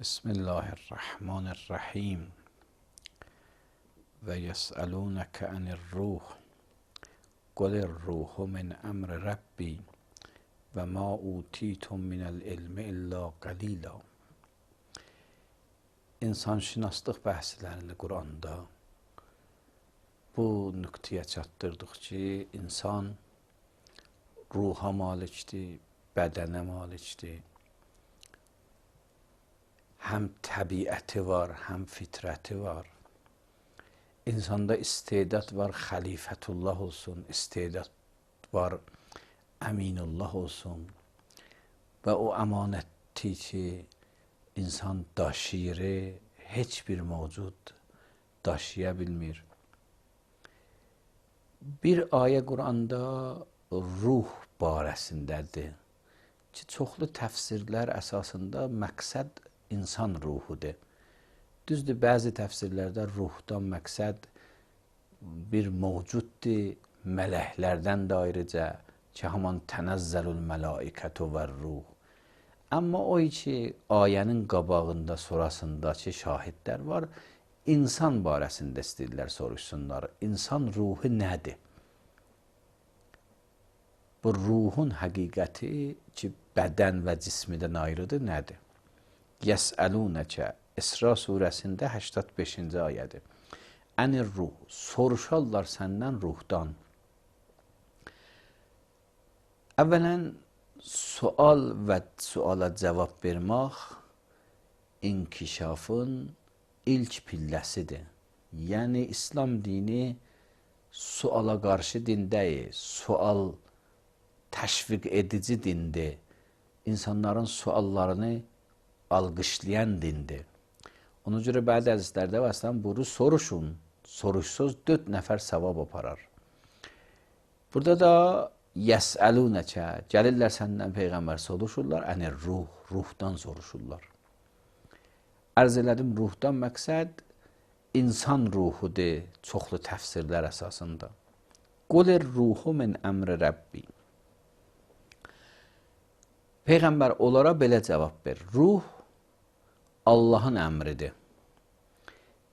بسم الله الرحمن الرحیم و یسألونک عن الروح قل الروح من امر ربی و ما اوتیتم من العلم الا قلیلا. İnsanşünaslıq bəhslərində Quranda bu nöqtəyə çatdırdıq ki, insan ruha malikdir, bədənə malikdir. Həm təbiəti var, həm fitrəti var. İnsanda istedad var, xəlifətullah olsun, istedad var, əminullah olsun. Və o əmanəti ki, insan daşıyır, heç bir mövcud daşıya bilmir. Bir ayə Quranda ruh barəsindədir ki, çoxlu təfsirlər əsasında məqsəd insan ruhudur. Düzdür, bəzi təfsirlərdə ruhdan məqsəd bir mövcuddur, mələklərdən də ayrıca ki, haman tənəzzəlül mələikətü və ruh. Amma o ki, ayənin qabağında, sonrasındakı şahidlər var, insan barəsində istəyirlər soruşsunlar. İnsan ruhu nədir? Bu ruhun həqiqəti ki, bədən və cismidən ayrıdır, nədir? Yəsəlunəkə, İsra surəsində 85-ci ayədir. Ənir ruh, soruşarlar səndən ruhdan. Əvvələn, sual və suala cavab vermək inkişafın ilk pilləsidir. Yəni, İslam dini suala qarşı din deyil, sual təşviq edici dindir. İnsanların suallarını alqışlayan dindir. Ona görə bəzi hədislərdə əslən bunu soruşun, soruşsuz 4 nəfər savab aparar. Burada da yəsəlunəkə, gəlirlər səndən Peyğəmbər soruşurlar, ənir ruh, ruhdan soruşurlar. Ərz elədim, ruhdan məqsəd insan ruhudur, çoxlu təfsirlər əsasında. Qulir ruhu min əmri Rəbbi. Peyğəmbər onlara belə cavab verir, ruh Allahın əmridir.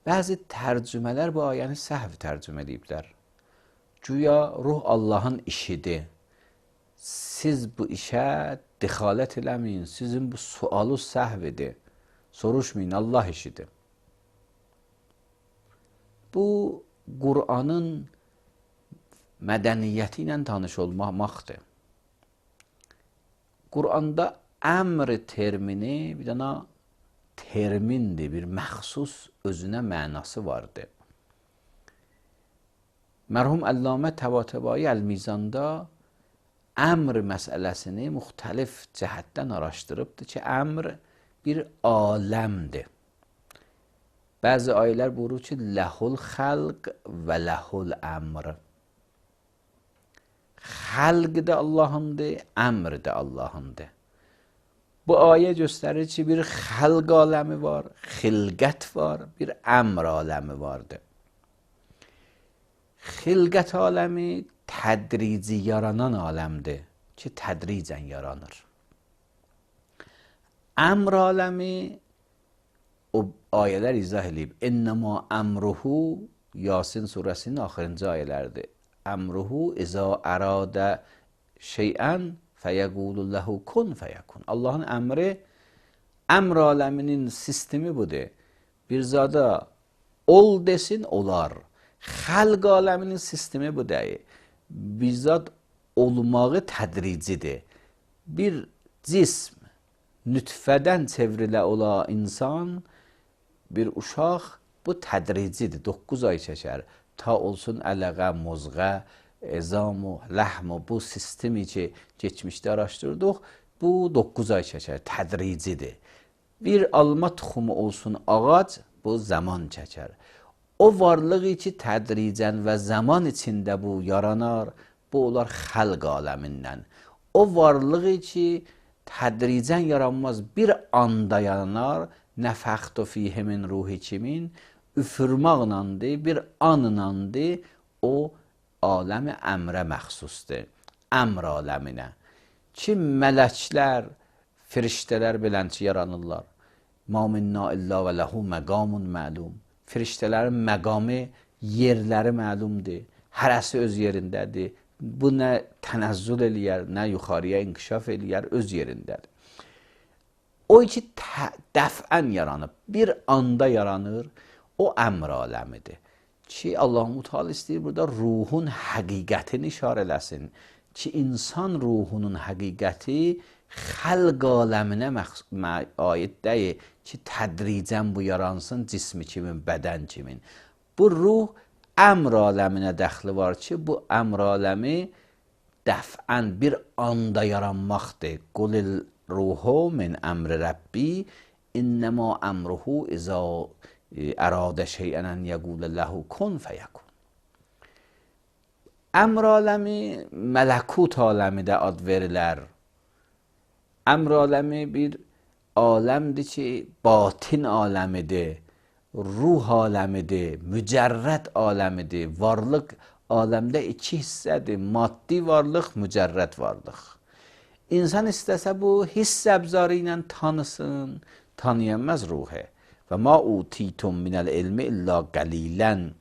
Bəzi tərcümələr bu ayəni səhv tərcümə ediblər. Güya ruh Allahın işidir. Siz bu işə dixalət eləməyin, sizin bu sualı səhvidir. Soruşmayın, Allah işidir. Bu, Qur'anın mədəniyyəti ilə tanış olmaqdır. Qur'anda əmr termini bir dənə termindir, bir məxsus özünə mənası vardır. Mərhum Əllamə Təbatəbai Əl-Mizanda əmr məsələsini müxtəlif cəhətdən araşdırıbdır ki, əmr bir aləmdir. Bəzi ayələr buyurur ki, ləhul xəlq və ləhul əmr. Xəlq də Allahındır, əmr də Allahındır. Bu ayə göstərir ki, bir xəlq aləmi var, xilqət var, bir əmr aləmi vardır. Xilqət aləmi tədrici yaranan aləmdir ki, tədricən yaranır. Əmr aləmi o ayələr izah edib. İnnəmə əmruhu, Yasin surəsinin axırıncı ayələrdir. Əmruhu izə əradə şeyən fəyəqulu ləhu kun fəyəkun. Allahın əmri, əmr aləminin sistemi budur. Bir zada ol desin, olar. Xəlq aləminin sistemi bu deyil. Bir zad olmağı tədricidir. Bir cism nütfədən çevrilə ola insan, bir uşaq, bu tədricidir. 9 ay çəkər. Ta olsun ələqə, mozğa, ezamu, ləhmu, bu sistemi ki, geçmişdə araşdırdıq, bu 9 ay çəkər, tədricidir. Bir alma tuxumu olsun ağac, bu zaman çəkər. O varlığı ki, tədricən və zaman içində bu yaranar, bu olar xəlq aləmindən. O varlığı ki, tədricən yaranmaz, bir anda yaranar, nəfəxtu fiyhi min ruhi kimin, üfürmaqlandır, bir anlandır, o aləmi əmrə məxsusdur, əmr aləminə. Ki, mələklər, firiştələr belənçi yaranırlar. ما minna illa və ləhu məqamun məlum. Firiştələrin məqamı, yerləri məlumdur. Hərəsi öz yerindədir. Bu nə tənəzzül eləyər, nə yuxarıya inkişaf eləyər, öz yerindədir. O ki dəfən yaranıb, bir anda yaranır, o əmr aləmidir. Ki Allah-u Teala istəyir burada ruhun həqiqətini işarə eləsin. Ki insan ruhunun həqiqəti xəlq aləminə aid deyil ki tədricən bu yaransın cismi kimin, bədən kimin. Bu ruh əmr aləminə dəxli var ki bu əmr aləmi dəfən bir anda yaranmaqdır. Qulil ruhu min əmri Rəbbi innəma əmruhu izə əradə şeyən ən yəqulə ləhu kun fəyəkun. Əmr aləmi mələkut aləmi də ad verilər. Əmr aləmi bir aləmdir ki batin aləmidir, ruh aləmidir, mücərrəd aləmidir. Varlıq aləmdə iki hissədir, maddi varlıq, mücərrəd varlıq. İnsan istəsə bu hiss əbzarı ilə tanısın, tanıyamaz ruhu. Və ma utitum minəl ilmi illa qalilən.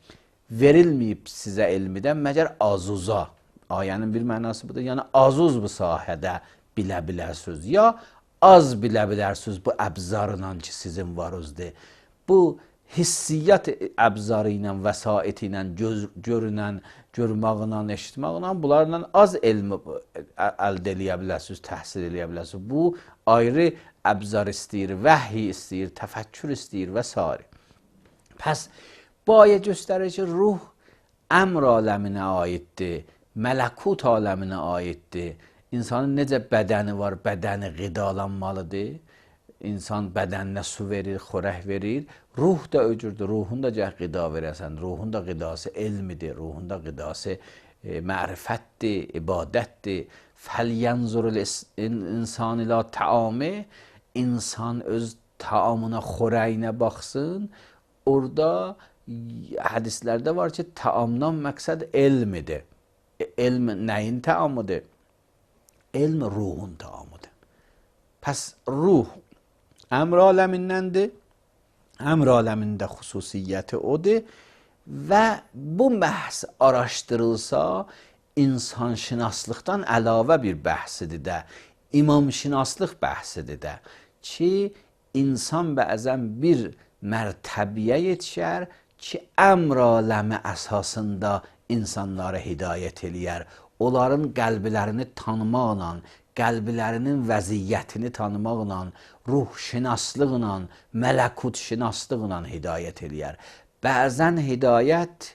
Verilməyib sizə elmidən məgər azuza. Ayənin bir mənası budur. Yəni azuz bu sahədə bilə bilərsiniz. Ya az bilə bilərsiniz bu əbzarla ki sizin varızdır. Bu hissiyyat əbzarı ilə, vəsait ilə, görünən, görməklə, eşitməklə bunlarla az elmi əldə eləyə bilərsiniz, təhsil eləyə bilərsiniz. Bu ayrı əbzar istəyir, vəhiy istəyir, təfəkkür istəyir və s. Pəs bu ayə göstərir ki ruh əmr aləminə aiddir, mələkut aləminə aiddir. İnsanın necə bədəni var, bədəni qidalanmalıdır. İnsan bədəninə su verir, xörək verir. Ruh da öcürdür, ruhun da gəh qida verəsən. Ruhun da qidası elmidir, ruhun da qidası mərifətdir, ibadətdir. Fəlyənzurul insan ilə təami. İnsan öz taamına, xörəyinə baxsın. Orada hədislərdə var ki taamdan məqsəd elmidir. Elm nəyin taamıdır? Elm ruhun taamıdır. Pəs ruh əmr aləmindəndir. Əmr aləmində xüsusiyyəti odur və bu bəhs araşdırılsa insanşünaslıqdan əlavə bir bəhsidir də, imamşünaslıq bəhsidir də ki insan bəzən bir mərtəbiyə yetişər ki əmr aləmi əsasında insanlara hidayət eləyər. Onların qəlblərini tanımaqla, qəlblərinin vəziyyətini tanımaqla, ruhşünaslıqla, mələkutşünaslıqla hidayət eləyər. Bəzən hidayət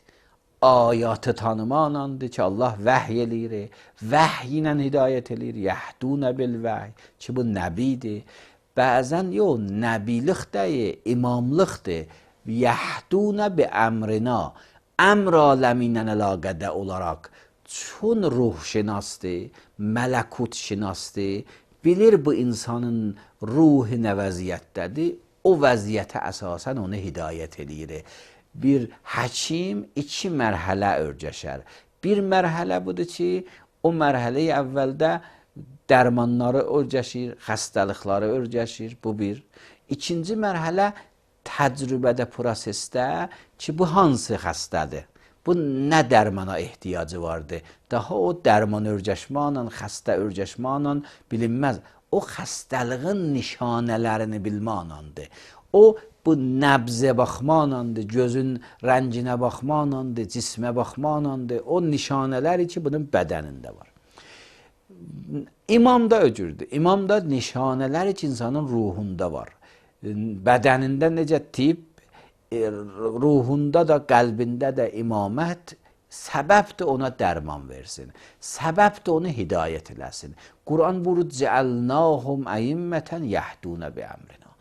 ayatı tanımaqlandır ki Allah vəhy eləyir, vəhy ilə hidayət eləyir, yəhdunə bil vəhy ki bu nəbidir. Bəzən yox, nəbilik deyil, imamlıqdır. Yəhdunə bi əmrina, əmr aləmi ilə əlaqədə olaraq çün ruhşünasdır, mələkutşünasdır, bilir bu insanın ruhu nə vəziyyətdədir, o vəziyyətə əsasən onu hidayət eləyir. Bir həkim iki mərhələ örgəşər. Bir mərhələ budur ki, o mərhələyi əvvəldə dərmanları örgəşir, xəstəlikləri örgəşir, bu bir. İkinci mərhələ təcrübədə, prosesdə ki, bu hansı xəstədir? Bu nə dərmana ehtiyacı vardır? Daha o dərman örgəşmanla, xəstə örgəşmanla bilinməz. O xəstəliğin nişanələrini bilmanandır. O bu nəbzə baxmanandır, gözün rənginə baxmanandır, cismə baxmanandır. O nişanələri ki, bunun bədənində var. İmam da öcürdür. İmam da nişanələri ki, insanın ruhunda var. Bədənində necə tip, ruhunda da, qəlbində də imamət səbəbdir ona dərman versin. Səbəbdir onu hidayət eləsin. Quran buyurur, cəəlnahum əimmətən yəhdunə bi əmrinə.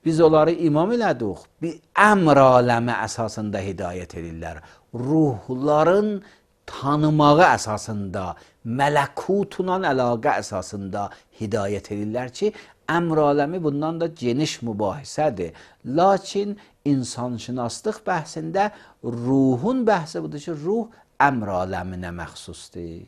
Biz onları imam elədik, bir əmr aləmi əsasında hidayət edirlər. Ruhların tanımağı əsasında, mələkutla əlaqə əsasında hidayət edirlər ki, əmr aləmi bundan da geniş mübahisədir. Lakin insanşünaslıq bəhsində ruhun bəhsi budur ki, ruh əmr aləminə məxsusdur.